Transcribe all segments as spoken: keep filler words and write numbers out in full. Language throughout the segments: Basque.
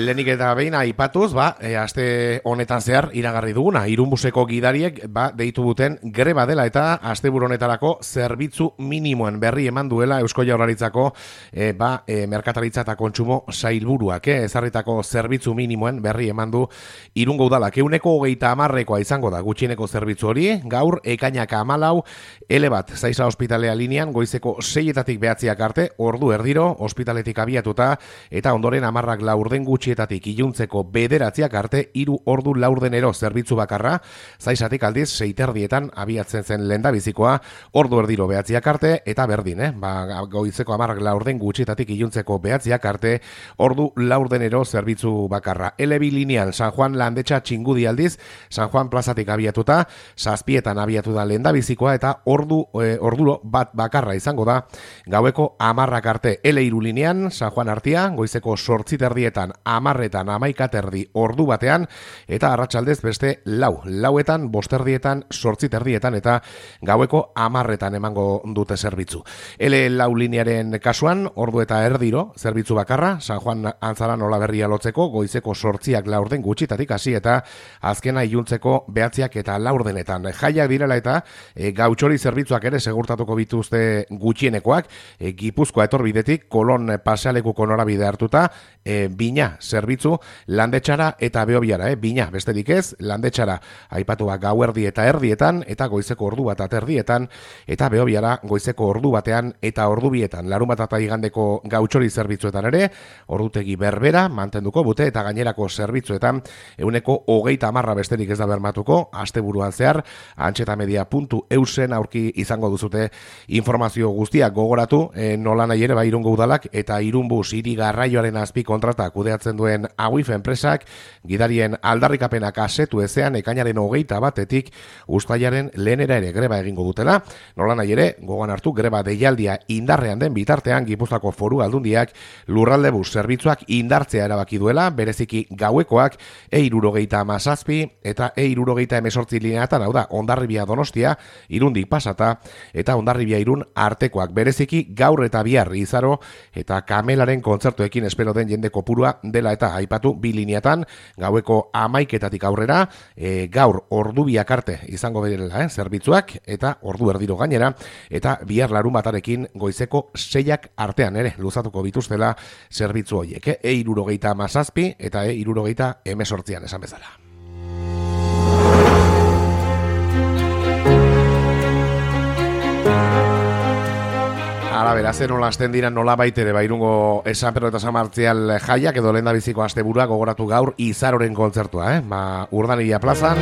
lehenik eta behin aipatuz, ba, e, aste honetan zehar iragarri duguna, Irunbuseko gidariek ba, deitu duten greba dela eta asteburu honetarako zerbitzu minimoen berri eman duela Eusko Jaurlaritzako e, ba, e, merkataritza eta kontsumo sailburuak, eh, ezarritako zerbitzu minimoen berri eman du Irungo udalak. Euneko hogeita hamarrekoa izango da gutxieneko zerbitzu hori, gaur ekainak hamalau, ele bat, Zaiza ospitalea linean, goizeko seietatik behatziak arte, ordu erdiro, ospitaletik abiatuta, eta ondoren hamarrak laurden gutxietatik iluntzeko bederatziak arte, hiru ordu laurdenero zerbitzu bakarra, Zaizatik aldiz seiterdietan abiatzen zen lehendabizikoa, ordu erdiro behatziak arte, eta berdin, eh? Ba, goizeko hamarrak laurden gutxietatik iluntzeko behatziak arte, ordu laurdenero zerbitzu bakarra. ele bi linean San Juan Landetxa Txingudi aldiz, San Juan plazatik abiatuta, zazpietan abiatu da lehendabizikoa, eta ordu e, ordulo bat bakarra izango da, gaueko hamarrak arte. ele hiru linean San Juan Artia, goizeko sortziterdietan, hamarretan, hamaikaterdi ordu batean, eta arratsaldez beste lau, lauetan, bosterdietan, sortziterdietan, eta gaueko hamarretan emango dute zerbitzu. ele lau linearen kasuan, ordu eta erdiro, zerbitzu bakarra, San Juan Antzaran Olaberria lotzeko, goizeko sortziak laurden gutxitatik hasi eta azkena iluntzeko behatziak eta laurdenetan. Jaiak direla eta e, gautxori zerbitzuak ere segurtatuko bituzte gutxienekoak, e, Gipuzkoa etorbidetik, Kolon pasealekuko norabide hartuta, e, Bina zerbitzu Landetxara eta Beobiara, eh? Bina, besterik ez, Landetxara aipatua gauerdi eta erdietan, eta goizeko ordu bat aterdietan, eta Beobiara goizeko ordu batean eta ordu bietan. Larun bat eta igandeko gautxori zerbitzuetan ere, ordutegi berbera mantenduko bute, eta gainerako zerbitzuetan euneko hogeita hamarra besterik ez da bermatuko, asteburuan zehar, antxetamedia puntu eusen aurki izango duzute informazio guztiak. Gogoratu, e, nola nahi ere, ba, Irungo udalak eta Irunbus hiri garraioaren azpi kontrata kudeatzen duen Auif enpresak, gidarien aldarrikapenak asetu ezean ekainaren hogeita batetik uztailaren lehenera ere greba egingo dutela. Nola nahi ere, gogoan hartu, greba deialdia indarrean den bitartean Gipuzkoako Foru Aldundiak lurralde bus zerbitzuak indartzea erabaki duela, bereziki gauekoak e hirurogeita hamazazpi eta e hirurogeita hemezortzi lineatan, hau da, Hondarribia Donostia, Irundik pasata, eta Hondarribia Irun artekoak, bereziki gaur eta bihar Izaro eta Kamelaren kontzertuekin espero den jende kopurua dela eta aipatu bi lineatan, gaueko hamaiketatik aurrera, e, gaur ordu biak arte izango berela, eh, zerbitzuak, eta ordu erdiro gainera, eta bihar larun batarekin goizeko seiak artean ere luzatuko bituztela zerbitzu horiek, eh? e hirurogeita hamazazpi eta e hirurogeita hemezortzian esan bezala. Ara, beraz, nola hasten dira nola baitere, ba, Irungo San Pedro eta San Martzial jaiak edo lehendabiziko asteburua gogoratu gaur Izaroren kontzertua, eh? Ba, Urdanilla plazan.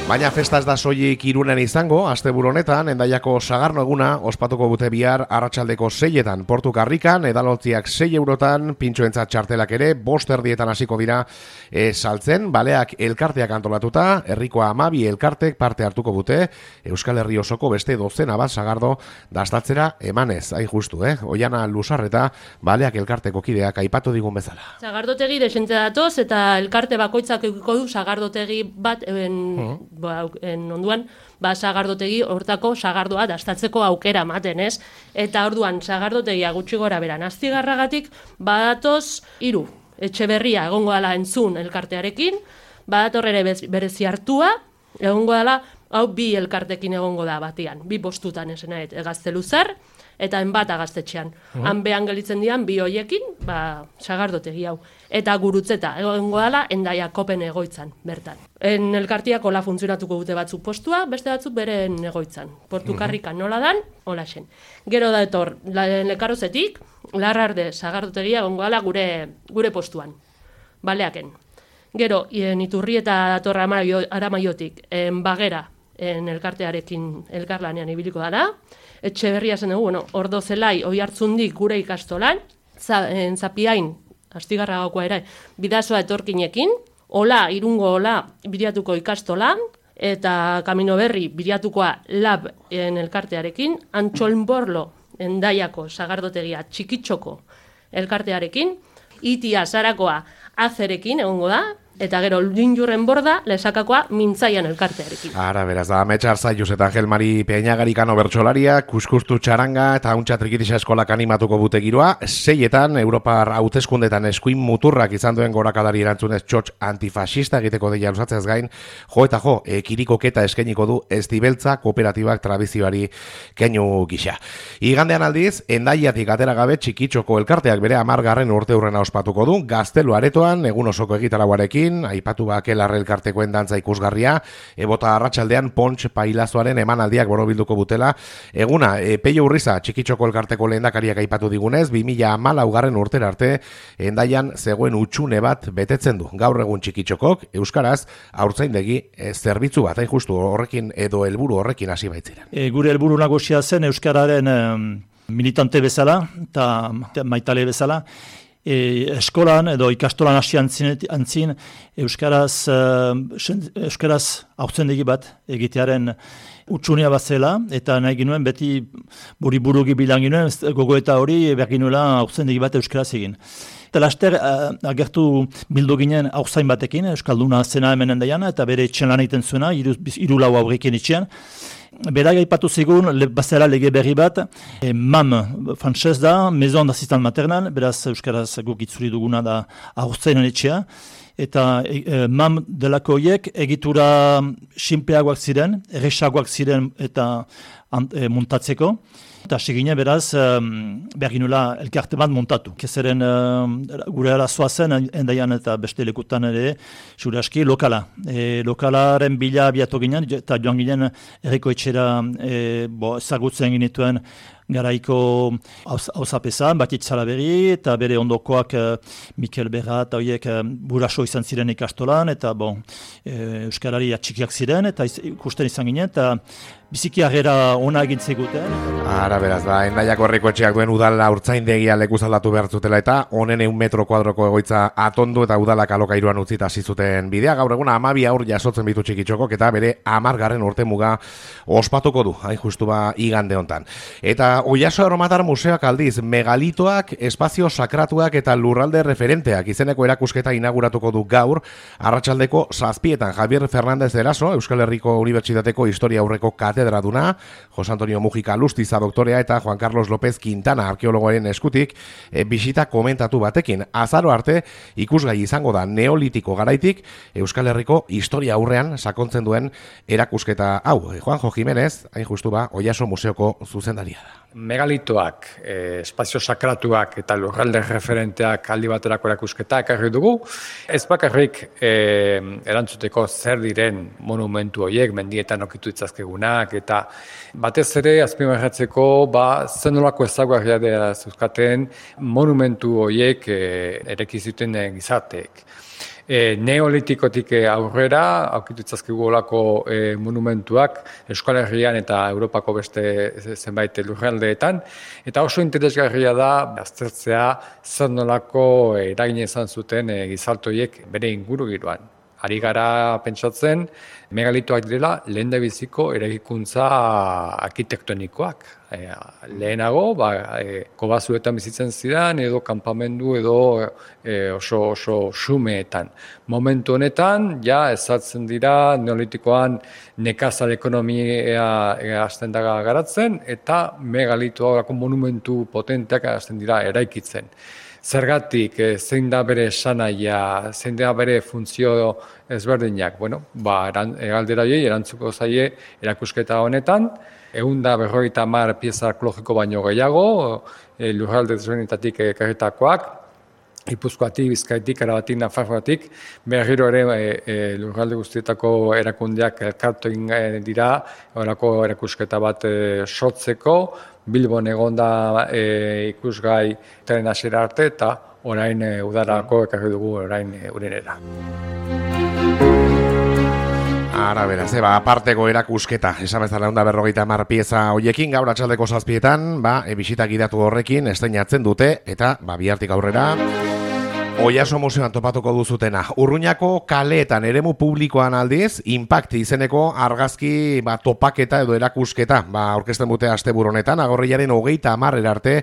Baina festa ez da soilik Irunen izango, asteburu honetan, Hendaiako Sagarno eguna ospatuko dute bihar arratsaldeko seietan, Portu Karrikan, edalontziak sei eurotan, pintxoentzat txartelak ere, bost erdietan hasiko dira e, saltzen, baleak elkarteak antolatuta, herrikoa hamabi elkartek parte hartuko dute, Euskal Herri osoko beste dozena bat Sagardo dastatzera emanez, hain justu, eh? Oiana Lusarreta, baleak elkarteko kideak aipatu digun bezala. Sagardotegi desente datoz eta elkarte bakoitzak edukiko du sagardotegi bat en, uh-huh. ba, en onduan, ba, sagardotegi hortako sagardoa dastatzeko aukera ematen, ez? Eta orduan sagardotegia gutxi gora beran Astigarragatik badatoz hiru. Etxeberria egongo dela entzun elkartearekin, badator ere berezi hartua, egongo dela, hau bi elkartekin egongo da batian, bi postutan esena, Gazteluzar eta enbata Gaztetxean. Uh-huh. Han behan gelitzen dian bi hoiekin, ba, sagardotegi hau. Eta gurutzeta, egongo dela, Hendaia Kopen egoitzan, bertan. En elkartiak hola funtzionatuko dute batzuk postua, beste batzuk beren egoitzan. Portu Karrikan nola dan, hola xen. Gero da etor, Lekarozetik, Larrarde sagardotegia egongo dela gure, gure postuan. Baleaken. Gero, en Iturri eta datorra Aramaiotik, en Bagera, en elkartearekin elkarlanean ibiliko dara. Etxeberria zen dugu, bueno, Ordo Zelai, Oihartzundik gure ikastolan, za, en Zapiain, Astigarragakoa ere, Bidasoa etorkinekin, Ola, Irungo Ola, biriatuko ikastolan, eta Kamino Berri, biriatukoa Lab en elkartearekin, Antxolnborlo, Hendaiako sagardotegia txikitxoko elkartearekin, Itia Zarakoa Azerekin egongo da, Eta gero, Linjurren borda, lesakakoa mintzaian elkartearekin. Ara, beraz, da, Metxar Zaius eta Angel Mari Peñagarikano bertsolaria, kuskustu txaranga eta hauntxa trikitisa eskolak animatuko bute giroa, seietan, Europar hauteskundetan eskuin muturrak izan duen gorakadari erantzunez txotx antifasista egiteko deia lusatzeaz gain, jo eta jo, e, kirikoketa eskainiko du Estibeltza kooperatibak tradizioari keinu gisa. Igandean aldiz, Endaiatik atera gabe txikitxoko elkarteak bere amargarren urte hurrena ospatuko du, Gaztelu aretoan, egun osoko egitarauarekin, aipatu bakelarre elkartekoen dantza ikusgarria, ebota arratsaldean Pontx Pailazoaren emanaldiak borobilduko butela, eguna, e, Peio Urriza txikitxoko elkarteko lehendakariak aipatu digunez, bi mila hamalaugarren urtera arte, Endaian zegoen utxune bat betetzen du. Gaur egun txikitxokok, euskaraz, haurtzaindegi e, zerbitzu bat, hain justu horrekin edo helburu horrekin hasi baitziren. E, gure helburu nagusia zen euskararen e, militante bezala eta maitale bezala, E, eskolan edo ikastolan hasi antzin, antzin euskaraz, uh, euskaraz haurtzendegi bat egitearen utxunea bat zela, eta nahi ginuen beti buri burugi bilan ginuen, gogo eta hori behar ginuela haurtzendegi bat euskaraz egin. Eta laster uh, agertu bildu ginen haurtzain batekin, euskalduna zena hemen endaian, eta bere etxen lan egiten zuena, iru, iru lau aurrekin etxean. Berak aipatu zigun, le, bazela lege berri bat, e, M A M, frantzez da, Maison d'Assistant Maternal, beraz euskaraz guk itzuri duguna da haurtzainen etxea, eta e, M A M delako hiek egitura sinpleagoak ziren, erresagoak ziren eta e, muntatzeko, eta segine beraz um, behar ginula elkarte bat montatu. Kezeren um, gure arazoa zen, endaian eta beste lekutan ere, zure aski, lokala. E, lokalaren bila abiatu ginen, eta joan ginen erreko etxera e, bo, ezagutzen ginituen garaiko hauzapesa, Batit Salaberri, eta bere ondokoak uh, Mikel Berra eta horiek uh, buraso izan ziren ikastolan, eta bon, e, euskarari atxikiak ziren, eta iz, ikusten izan ginen, eta biziki harrera ona egin zeguten. Ara beraz, da, Endaiako herriko etxeak duen udala urtzaindegia lekuz aldatu behar zutela, eta honen eun metro kuadroko egoitza atondu eta udalak alokairuan utzita hasi zuten bidea. Gaur egun amabi aur jasotzen bitu txikitxokok, eta bere amargarren urte muga ospatuko du, hain justu ba igande hontan. Eta Oiaso Erromatar Museoak aldiz, megalitoak, espazio sakratuak eta lurralde referenteak izeneko erakusketa inauguratuko du gaur, arratsaldeko zazpietan Javier Fernández de Eraso, Euskal Herriko Unibertsitateko Historia Aurreko katedraduna, Jose Antonio Mujika Lustiza doktorea eta Juan Carlos López Quintana arkeologoaren eskutik, e, bisita komentatu batekin. Azaro arte ikusgai izango da neolitiko garaitik Euskal Herriko historia aurrean sakontzen duen erakusketa hau. Juanjo Jimenez, hain justu ba, Oiaso Museoko zuzendaria da. Megalitoak, eh, espazio sakratuak eta lurralde referenteak aldi baterako erakusketa ekarri dugu. Ez bakarrik eh, erantzuteko zer diren monumentu horiek, mendietan okitu itzazkegunak, eta batez ere azpimarratzeko ba, zenolako ezaguarria dela zuzkaten monumentu horiek eh, ereki zuten gizarteek. E, neolitikotik aurrera, aukitu itzazkigu olako e, monumentuak Euskal Herrian eta Europako beste zenbait lurraldeetan, eta oso interesgarria da aztertzea zer nolako eragina izan zuten e, gizartoiek bere inguru giroan. Ari gara pentsatzen, megalitoak direla lehendabiziko eraikuntza arkitektonikoak. E, lehenago, ba, e, kobazuetan bizitzen ziren, edo kanpamendu, edo e, oso oso xumeetan. Momentu honetan, ja, ezartzen dira, neolitikoan nekazal ekonomia hasten daga garatzen, eta megalitoak monumentu potenteak hasten dira eraikitzen. Zergatik, zein da bere esanaia, zein da bere funtzio ezberdinak. Bueno, ba, galdera horiei erantzuko zaie erakusketa honetan, ehun eta berrogeita hamar pieza arkeologiko baino gehiago, e, lurralde desberdinetatik ekarritakoak, Gipuzkoatik, Bizkaitik, Arabatik, Nafarroatik, berriro ere e, e, lurralde guztietako erakundeak elkartu egin dira, horako erakusketa bat e, sortzeko, Bilbon egonda e, ikusgai tren hasiera arte eta orain e, udarako ekarri dugu orain e, urenera. Ara beraz, eba, aparteko erakusketa, esan bezala onda berrogeita hamar pieza hoiekin, gaur atxaldeko zazpietan, ba, e, bisita gidatu horrekin, estreinatzen dute, eta, ba, bihartik aurrera, Oiaso museoan topatuko duzutena. Urruñako kaleetan eremu publikoan aldiz, Impact izeneko argazki ba, topaketa edo erakusketa. Ba, aurkezten dute asteburu honetan, agorriaren hogeita hamarrera arte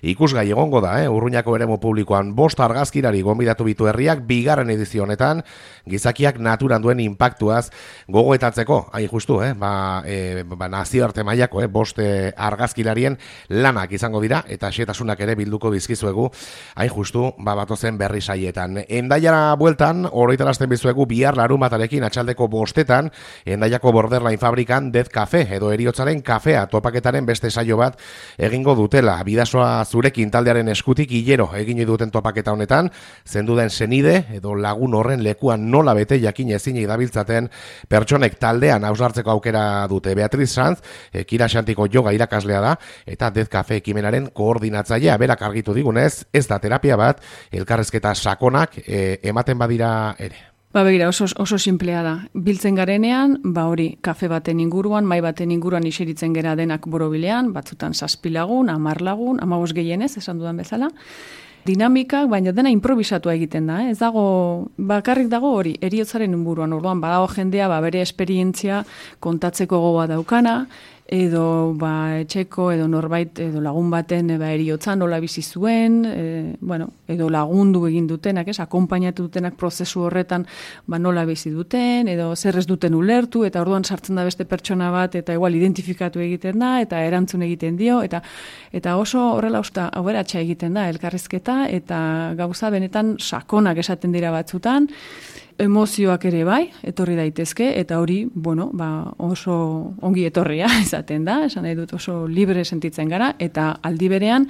ikusgai egongo da, eh? Urruñako eremu publikoan bost argazkirari gonbidatu bitu herriak, bigarren edizio honetan, gizakiak naturan duen inpaktuaz gogoetatzeko, hain justu, eh? ba, e, ba, nazioarte mailako, eh? bost eh, argazkilarien lanak izango dira, eta xetasunak ere bilduko bizkizuegu, hain justu, ba, batozen berri saietan. Endaiara bueltan, oroitarazten bizuegu bihar larunbatarekin atxaldeko bostetan, Endaiako Borderline fabrikan Death Cafe, edo eriotzaren kafea topaketaren beste saio bat egingo dutela. Bidasoa zurekin taldearen eskutik hilero egin duten topaketa honetan, zenduden senide, edo lagun horren lekuan nola bete jakin ezin dabiltzaten pertsonek taldean hausnartzeko aukera dute. Beatriz Sanz, e, Kira Xantiko yoga irakaslea da, eta Death Cafe ekimenaren koordinatzailea, berak argitu digunez, ez da terapia bat, elkarrezketa sakonak e, ematen badira ere. Ba begira, oso, oso simplea da. Biltzen garenean, ba hori, kafe baten inguruan, mai baten inguruan iseritzen gera denak borobilean, batzutan zazpi lagun, hamar lagun, hamabost gehienez, esan dudan bezala. Dinamikak, baina dena improvisatua egiten da, eh? Ez dago, bakarrik dago hori, eriotzaren inguruan, orduan, badago jendea, ba bere esperientzia kontatzeko gogoa daukana, edo ba, etxeko, edo norbait, edo lagun baten ba, eriotzan nola bizi zuen, e, bueno, edo lagundu egin dutenak, ez, akonpainatu dutenak prozesu horretan ba, nola bizi duten, edo zer ez duten ulertu, eta orduan sartzen da beste pertsona bat, eta igual identifikatu egiten da, eta erantzun egiten dio, eta eta oso horrela usta aberatsa egiten da elkarrizketa, eta gauza benetan sakonak esaten dira batzutan, emozioak ere bai, etorri daitezke, eta hori, bueno, ba, oso ongi etorria izaten da, esan nahi dut oso libre sentitzen gara, eta aldi berean,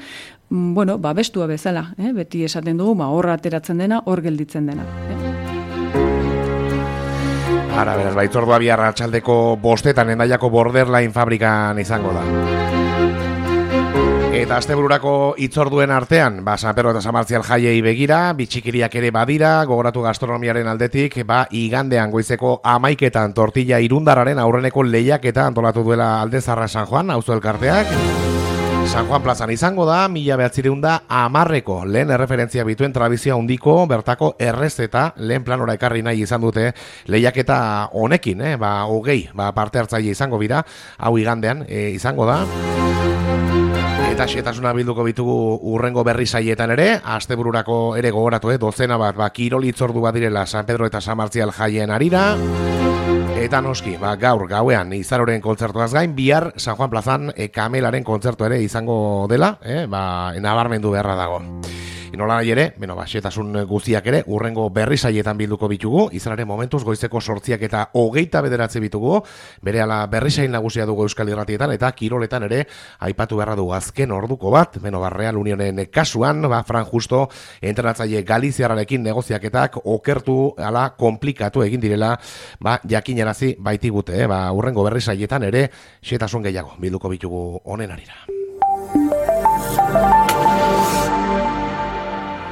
bueno, ba, bestua bezala, eh? Beti esaten dugu, ba, horra ateratzen dena, hor gelditzen dena. Eh? Ara, beraz, baitzordua bihar atxaldeko bostetan Endaiako Borderline fabrikan izango da. Eta astebururako hitzorduen artean, ba, San Pedro eta San Martzial jaiei begira, bitxikiriak ere badira, gogoratu gastronomiaren aldetik, ba, igandean goizeko amaiketan tortilla irundarraren aurreneko lehiaketa antolatu duela Aldezarra San Juan, auzo elkarteak. San Juan plazan izango da, mila behatzireun da amarreko lehen erreferentzia bituen tradizioa handiko bertako errezeta lehen planora ekarri nahi izan dute lehiaketa honekin, eh? ba, hogei ba, parte hartzaile izango bira, hau igandean e, izango da. Eta xetasuna bilduko bitugu urrengo berri saietan ere, astebururako ere gogoratu, eh? dozena bat, ba, kirol hitzordu bat direla San Pedro eta San Martzial jaien arira. Eta noski, ba, gaur gauean Izaroren kontzertuaz gain, bihar San Juan plazan e, Kamelaren kontzertu ere izango dela, eh? ba, nabarmendu beharra dago. Nola nahi ere, beno, ba, xetasun guztiak ere, urrengo berri saietan bilduko bitugu, izanaren momentuz goizeko sortziak eta hogeita bederatzi bitugu, berehala berri sain nagusia dugu Euskal Irratietan, eta kiroletan ere, aipatu beharra dugu azken orduko bat, beno, ba, Real Unionen kasuan, ba, Fran Justo, entrenatzaile Galiziarrarekin negoziaketak okertu, ala, komplikatu egin direla, ba, jakinarazi baitigute, eh? ba, urrengo berri saietan ere, xetasun gehiago bilduko bitugu honen arira.